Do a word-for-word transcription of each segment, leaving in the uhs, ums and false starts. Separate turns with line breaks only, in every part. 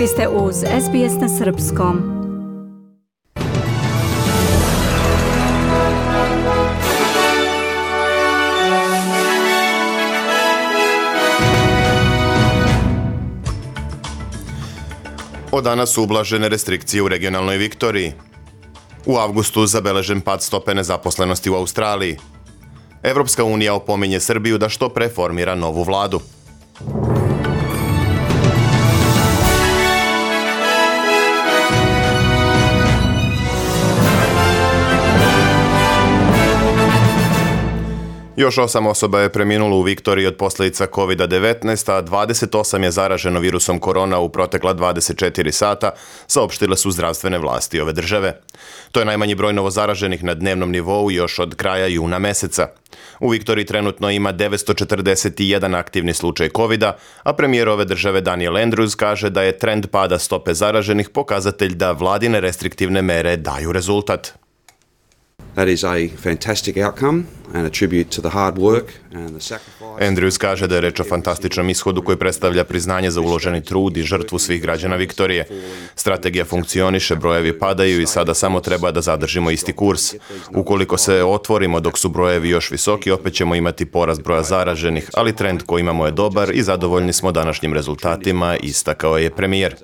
Vi ste uz S B S na srpskom.
Od danas su ublažene restrikcije u regionalnoj Viktoriji. U avgustu zabeležen pad stope nezaposlenosti u Australiji. Evropska unija opominje Srbiju da što pre formira novu vladu. Još osam osoba je preminulo u Viktoriji od posljedica kovid devetnaest, a dvadeset osam je zaraženo virusom korona u protekla dvadeset četiri sata, saopštile su zdravstvene vlasti ove države. To je najmanji broj novozaraženih na dnevnom nivou još od kraja juna meseca. U Viktoriji trenutno ima devetsto četrdeset jedan aktivni slučaj kovida, a premijer ove države Daniel Andrews kaže da je trend pada stope zaraženih pokazatelj da vladine restriktivne mere daju rezultat.
That is a fantastic outcome and a tribute to the hard work and the sacrifice.
Andrews kaže da je reč o fantastičnom ishodu koji predstavlja priznanje za uloženi trud i žrtvu svih građana Viktorije. Strategija funkcioniše, brojevi padaju i sada samo treba da zadržimo isti kurs. Ukoliko se otvorimo dok su brojevi još visoki, opet ćemo imati porast broja zaraženih, ali trend koji imamo je dobar i zadovoljni smo današnjim rezultatima, istakao je premijer.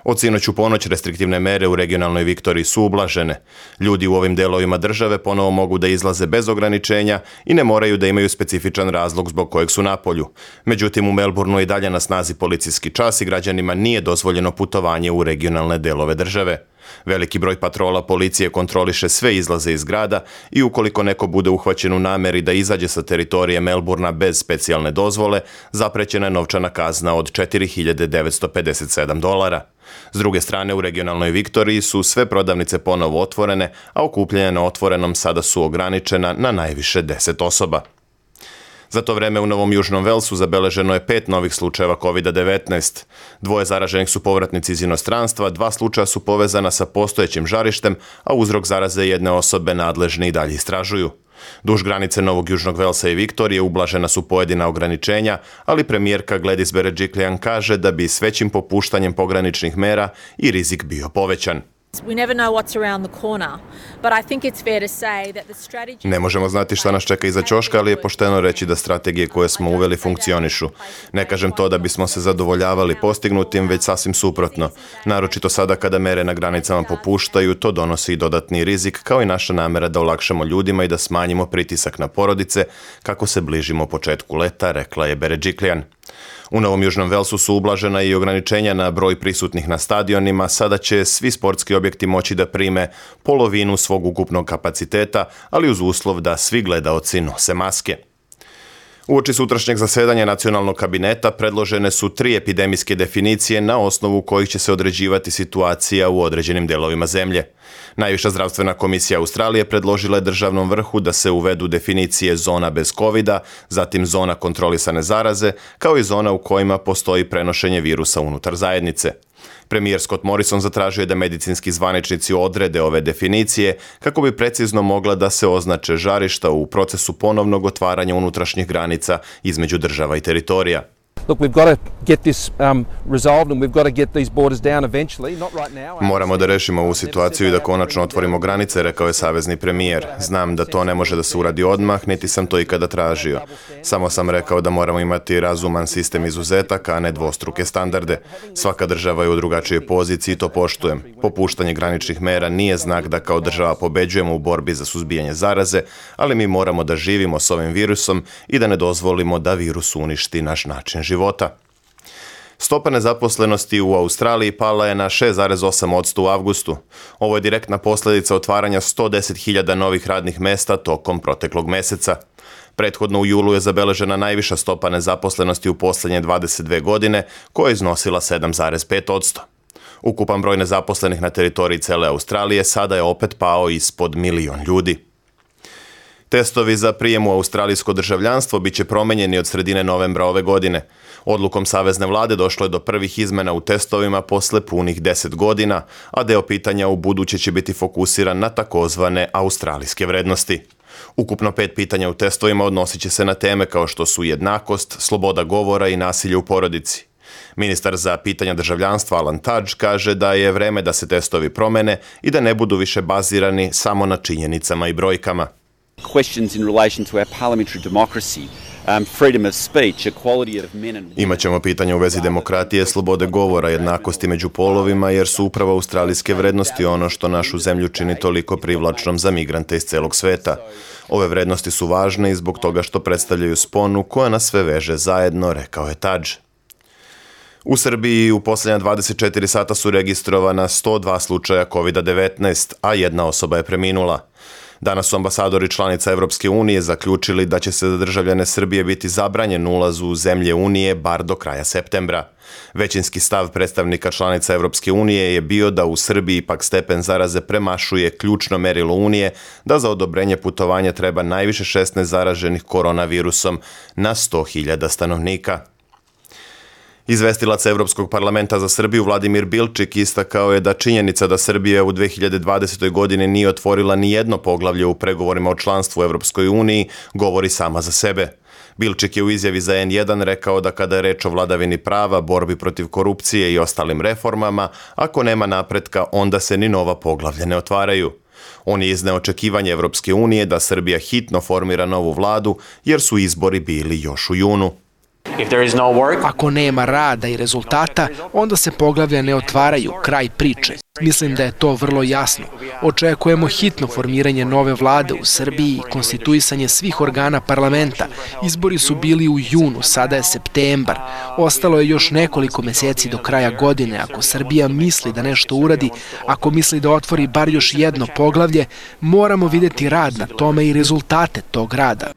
Od sinoć u ponoć restriktivne mere u regionalnoj Viktoriji su ublažene. Ljudi u ovim delovima države ponovo mogu da izlaze bez ograničenja i ne moraju da imaju specifičan razlog zbog kojeg su na polju. Međutim, u Melbourneu je dalje na snazi policijski čas i građanima nije dozvoljeno putovanje u regionalne delove države. Veliki broj patrola policije kontroliše sve izlaze iz grada i ukoliko neko bude uhvaćen u nameri da izađe sa teritorije Melbournea bez specijalne dozvole, zaprećena je novčana kazna od četiri hiljade devetsto pedeset sedam dolara. S druge strane, u regionalnoj Viktoriji su sve prodavnice ponovo otvorene, a okupljanja na otvorenom sada su ograničena na najviše deset osoba. Za to vreme u Novom Južnom Velsu zabeleženo je pet novih slučajeva kovid devetnaest. Dvoje zaraženih su povratnici iz inostranstva, dva slučaja su povezana sa postojećim žarištem, a uzrok zaraze jedne osobe nadležni i dalje istražuju. Duž granice Novog Južnog Velsa i Viktorije ublažena su pojedina ograničenja, ali premijerka Gladys Berejiklian kaže da bi s većim popuštanjem pograničnih mera i rizik bio povećan. Ne možemo znati šta nas čeka iza ćoška, ali je pošteno reći da strategije koje smo uveli funkcionišu. Ne kažem to da bismo se zadovoljavali postignutim, već sasvim suprotno. Naročito sada kada mere na granicama popuštaju, to donosi i dodatni rizik, kao i naša namera da olakšamo ljudima i da smanjimo pritisak na porodice kako se bližimo početku leta, rekla je Berejiklian. U Novom Južnom Velsu su ublažena i ograničenja na broj prisutnih na stadionima, sada će svi sportski objekti moći da prime polovinu svog ukupnog kapaciteta, ali uz uslov da svi gledaoci nose maske. Uoči sutrašnjeg zasedanja nacionalnog kabineta predložene su tri epidemijske definicije na osnovu kojih će se određivati situacija u određenim delovima zemlje. Najviša zdravstvena komisija Australije predložila je državnom vrhu da se uvedu definicije zona bez kovida, zatim zona kontrolisane zaraze, kao i zona u kojima postoji prenošenje virusa unutar zajednice. Premijer Scott Morrison zatražio je da medicinski zvaničnici odrede ove definicije kako bi precizno mogla da se označe žarišta u procesu ponovnog otvaranja unutrašnjih granica između država i teritorija. Moramo da rešimo ovu situaciju i da konačno otvorimo granice, rekao je savezni premijer. Znam da to ne može da se uradi odmah, niti sam to ikada tražio. Samo sam rekao da moramo imati razuman sistem izuzetaka, a ne dvostruke standarde. Svaka država je u drugačijoj poziciji i to poštujem. Popuštanje graničnih mera nije znak da kao država pobeđujemo u borbi za suzbijanje zaraze, ali mi moramo da živimo s ovim virusom i da ne dozvolimo da virus uništi naš način života. Stopa nezaposlenosti u Australiji pala je na šest zarez osam posto u avgustu. Ovo je direktna posljedica otvaranja sto deset hiljada novih radnih mesta tokom proteklog meseca. Prethodno u julu je zabeležena najviša stopa nezaposlenosti u posljednje dvadeset dve godine, koja je iznosila sedam zarez pet posto. Ukupan broj nezaposlenih na teritoriji cele Australije sada je opet pao ispod milion ljudi. Testovi za prijem u australijsko državljanstvo biće promenjeni od sredine novembra ove godine. Odlukom savezne vlade došlo je do prvih izmena u testovima posle punih deset godina, a deo pitanja u buduće će biti fokusiran na takozvane australijske vrednosti. Ukupno pet pitanja u testovima odnosit će se na teme kao što su jednakost, sloboda govora i nasilje u porodici. Ministar za pitanja državljanstva Alan Tudge kaže da je vreme da se testovi promene i da ne budu više bazirani samo na činjenicama i brojkama.
Questions in relation to our parliamentary democracy, um, freedom of speech, equality of men and women.
Imaćemo pitanja u vezi demokratije, slobode govora, jednakosti među polovima, jer su upravo australijske vrednosti ono što našu zemlju čini toliko privlačnom za migrante iz celog sveta. Ove vrednosti su važne i zbog toga što predstavljaju sponu koja nas sve veže zajedno, rekao je Tudge. U Srbiji u posljednja dvadeset četiri sata su registrovana sto dva slučaja kovid devetnaest, a jedna osoba je preminula. Danas su ambasadori članica Evropske unije zaključili da će se za državljane Srbije biti zabranjen ulaz u zemlje Unije bar do kraja septembra. Većinski stav predstavnika članica Evropske unije je bio da u Srbiji ipak stepen zaraze premašuje ključno merilo Unije da za odobrenje putovanja treba najviše šesnaest zaraženih koronavirusom na sto hiljada stanovnika. Izvestilac Evropskog parlamenta za Srbiju Vladimir Bilčik istakao je da činjenica da Srbija u dve hiljade dvadesetoj. godini nije otvorila ni jedno poglavlje u pregovorima o članstvu u Evropskoj uniji govori sama za sebe. Bilčik je u izjavi za en jedan rekao da kada je reč o vladavini prava, borbi protiv korupcije i ostalim reformama, ako nema napretka, onda se ni nova poglavlja ne otvaraju. On je izneo očekivanje Evropske unije da Srbija hitno formira novu vladu jer su izbori bili još u junu.
Ako nema rada i rezultata, onda se poglavlja ne otvaraju, kraj priče. Mislim da je to vrlo jasno. Očekujemo hitno formiranje nove vlade u Srbiji i konstituisanje svih organa parlamenta. Izbori su bili u junu, sada je septembar. Ostalo je još nekoliko meseci do kraja godine. Ako Srbija misli da nešto uradi, ako misli da otvori bar još jedno poglavlje, moramo vidjeti rad na tome i rezultate tog rada.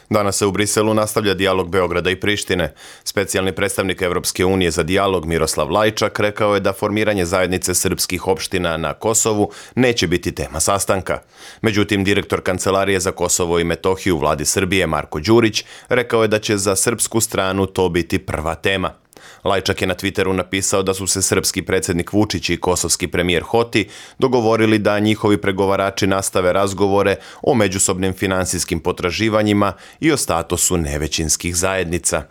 Danas se u Briselu nastavlja dijalog Beograda i Prištine. Specijalni predstavnik Evropske unije za dijalog Miroslav Lajčak rekao je da formiranje zajednice srpskih opština na Kosovu neće biti tema sastanka. Međutim, direktor Kancelarije za Kosovo i Metohiju u vladi Srbije Marko Đurić rekao je da će za srpsku stranu to biti prva tema. Lajčak je na Twitteru napisao da su se srpski predsjednik Vučić i kosovski premijer Hoti dogovorili da njihovi pregovarači nastave razgovore o međusobnim finansijskim potraživanjima i o statusu nevećinskih zajednica.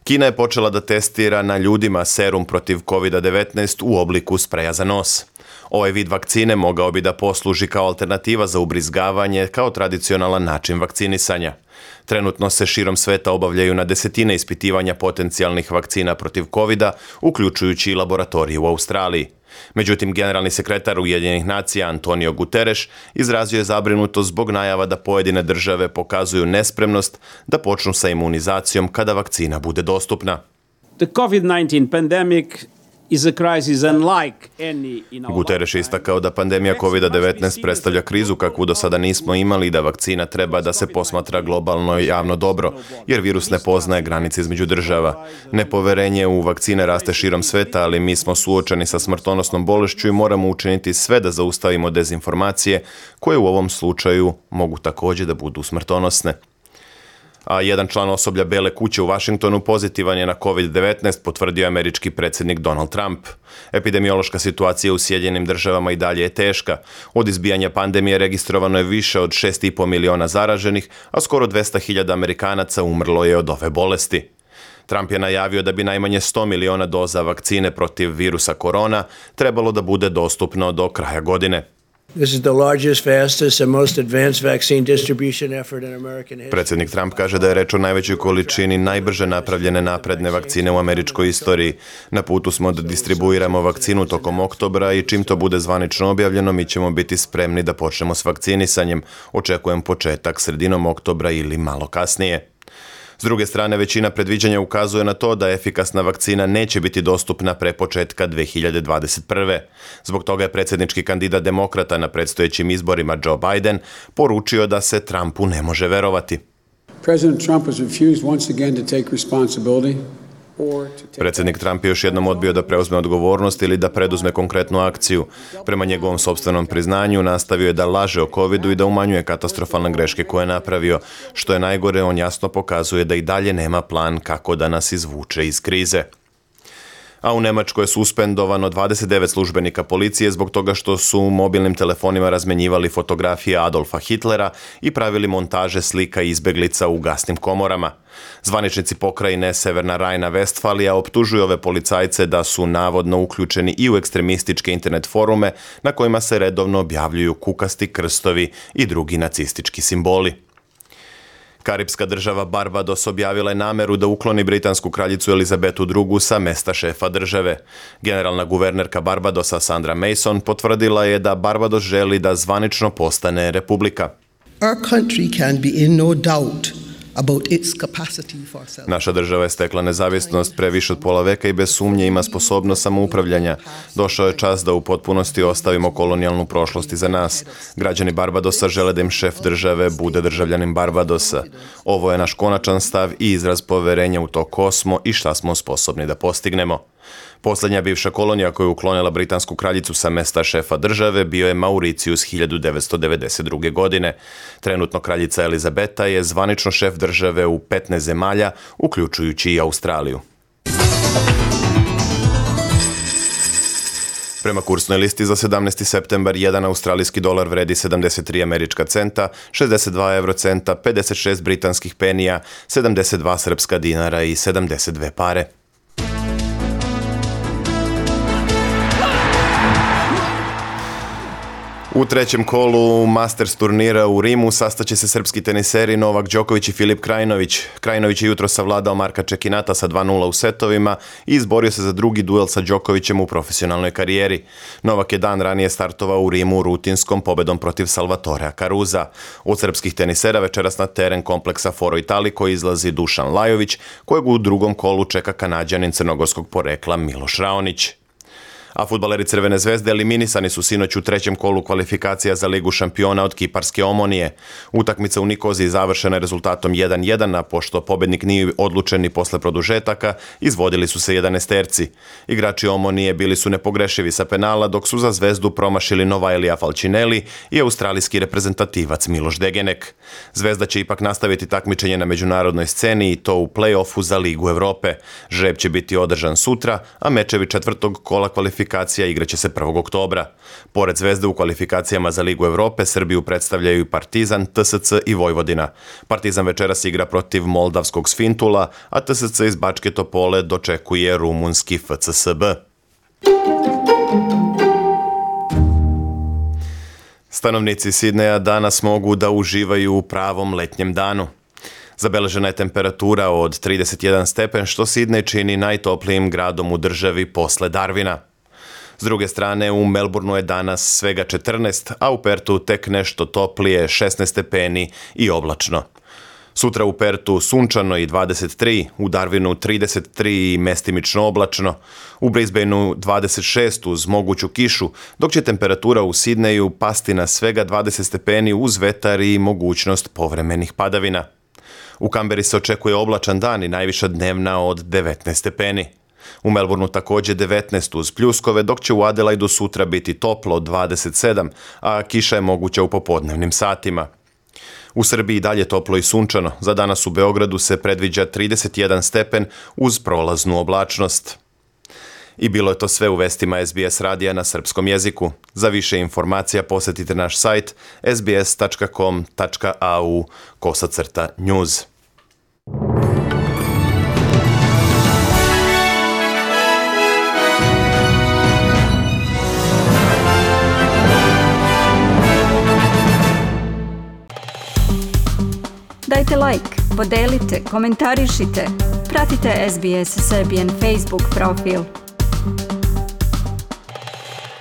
Kina je počela da testira na ljudima serum protiv kovid devetnaest u obliku spreja za nos. Ovaj vid vakcine mogao bi da posluži kao alternativa za ubrizgavanje kao tradicionalan način vakcinisanja. Trenutno se širom sveta obavljaju na desetine ispitivanja potencijalnih vakcina protiv kovida, uključujući i laboratorije u Australiji. Međutim, generalni sekretar Ujedinjenih nacija Antonio Guterres izrazio je zabrinutost zbog najava da pojedine države pokazuju nespremnost da počnu sa imunizacijom kada vakcina bude dostupna.
The COVID nineteen pandemic is a crisis unlike any in our
Guterres je istakao da pandemija kovid devetnaest predstavlja krizu kakvu do sada nismo imali i da vakcina treba da se posmatra globalno i javno dobro, jer virus ne poznaje granice između država. Nepoverenje u vakcine raste širom sveta, ali mi smo suočeni sa smrtonosnom bolešću i moramo učiniti sve da zaustavimo dezinformacije, koje u ovom slučaju mogu također da budu smrtonosne. A jedan član osoblja Bele kuće u Vašingtonu pozitivan je na kovid devetnaest, potvrdio američki predsjednik Donald Trump. Epidemiološka situacija u Sjedinjenim državama i dalje je teška. Od izbijanja pandemije registrovano je više od šest i po miliona zaraženih, a skoro dvesta hiljada Amerikanaca umrlo je od ove bolesti. Trump je najavio da bi najmanje sto miliona doza vakcine protiv virusa korona trebalo da bude dostupno do kraja godine.
This is the largest, fastest and most advanced vaccine distribution effort in American history.
Predsjednik Trump kaže da je reč o najvećoj količini najbrže napravljene napredne vakcine u američkoj istoriji. Na putu smo da distribuiramo vakcinu tokom oktobra i čim to bude zvanično objavljeno, mi ćemo biti spremni da počnemo s vakcinisanjem. Očekujem početak sredinom oktobra ili malo kasnije. S druge strane, većina predviđanja ukazuje na to da efikasna vakcina neće biti dostupna pre početka dve hiljade dvadeset prve. Zbog toga je predsjednički kandidat demokrata na predstojećim izborima Joe Biden poručio da se Trumpu ne može verovati.
President Trump has refused once again to take responsibility.
Predsjednik Trump je još jednom odbio da preuzme odgovornost ili da preduzme konkretnu akciju. Prema njegovom sopstvenom priznanju nastavio je da laže o covidu i da umanjuje katastrofalne greške koje je napravio. Što je najgore, on jasno pokazuje da i dalje nema plan kako da nas izvuče iz krize. A u Nemačkoj je suspendovano dvadeset devet službenika policije zbog toga što su mobilnim telefonima razmenjivali fotografije Adolfa Hitlera i pravili montaže slika izbeglica u gasnim komorama. Zvaničnici pokrajine Severna Rajna-Vestfalija optužuju ove policajce da su navodno uključeni i u ekstremističke internet forume na kojima se redovno objavljuju kukasti krstovi i drugi nacistički simboli. Karipska država Barbados objavila je nameru da ukloni britansku kraljicu Elizabetu drugu sa mesta šefa države. Generalna guvernerka Barbadosa Sandra Mason potvrdila je da Barbados želi da zvanično postane republika.
Our country can be in no doubt about its capacity for self.
Naša država je stekla nezavisnost pre više od pola veka i bez sumnje ima sposobnost samoupravljanja. Došao je čas da u potpunosti ostavimo kolonijalnu prošlost iza nas. Građani Barbadosa žele da im šef države bude državljanin Barbadosa. Ovo je naš konačan stav i izraz poverenja u to ko smo i šta smo sposobni da postignemo. Poslednja bivša kolonija koju je uklonila britansku kraljicu sa mesta šefa države bio je Mauricijus hiljadu devetsto devedeset druge. godine. Trenutno kraljica Elizabeta je zvanično šef države u petnaest zemalja, uključujući i Australiju. Prema kursnoj listi za sedamnaesti septembar jedan australijski dolar vredi sedamdeset tri američka centa, šezdeset dva evrocenta, pedeset šest britanskih penija, sedamdeset dva srpska dinara i sedamdeset dve pare. U trećem kolu Masters turnira u Rimu sastaće se srpski teniseri Novak Đoković i Filip Krajinović. Krajinović je jutro savladao Marka Čekinata sa dva nula u setovima i izborio se za drugi duel sa Đokovićem u profesionalnoj karijeri. Novak je dan ranije startovao u Rimu rutinskom pobedom protiv Salvatorea Caruza. Od srpskih tenisera večeras na teren kompleksa Foro Italiko izlazi Dušan Lajović, kojeg u drugom kolu čeka Kanađanin crnogorskog porekla Miloš Raonić. A fudbaleri Crvene zvezde eliminisani su sinoć u trećem kolu kvalifikacija za Ligu šampiona od kiparske Omonije. Utakmica u Nikoziji završena je rezultatom jedan jedan, a pošto pobednik nije odlučen ni posle produžetaka, izvodili su se jedanaesterci. Igrači Omonije bili su nepogrešivi sa penala, dok su za Zvezdu promašili Novailija Falcinelli i australijski reprezentativac Miloš Degenek. Zvezda će ipak nastaviti takmičenje na međunarodnoj sceni i to u play-offu za Ligu Evrope. Žreb će biti održan sutra, a mečevi četvrtog kola kvalifikacija igraće se prvog oktobra. Pored Zvezde u kvalifikacijama za Ligu Evrope, Srbiju predstavljaju Partizan, T S C i Vojvodina. Partizan večeras igra protiv moldavskog Sfintula, a T S C iz Bačke Topole dočekuje rumunski F C S B. Stanovnici Sidneja danas mogu da uživaju u pravom letnjem danu. Zabeležena je temperatura od trideset jedan stepen, što Sidnej čini najtoplijim gradom u državi posle Darwina. S druge strane, u Melbourneu je danas svega četrnaest, a u Pertu tek nešto toplije, šesnaest stepeni i oblačno. Sutra u Pertu sunčano i dvadeset tri, u Darwinu trideset tri i mestimično oblačno, u Brisbaneu dvadeset šest uz moguću kišu, dok će temperatura u Sidneju pasti na svega dvadeset stepeni uz vetar i mogućnost povremenih padavina. U Kamberi se očekuje oblačan dan i najviša dnevna od devetnaest stepeni. U Melbourneu također devetnaest uz pljuskove, dok će u Adelaidu sutra biti toplo dvadeset sedam, a kiša je moguća u popodnevnim satima. U Srbiji dalje toplo i sunčano. Za danas u Beogradu se predviđa trideset jedan stepen uz prolaznu oblačnost. I bilo je to sve u vestima S B S radija na srpskom jeziku. Za više informacija posetite naš sajt s b s tačka com tačka a u kosacrta news.
Dajte like, podelite, komentarišite, pratite S B S Serbian Facebook profil.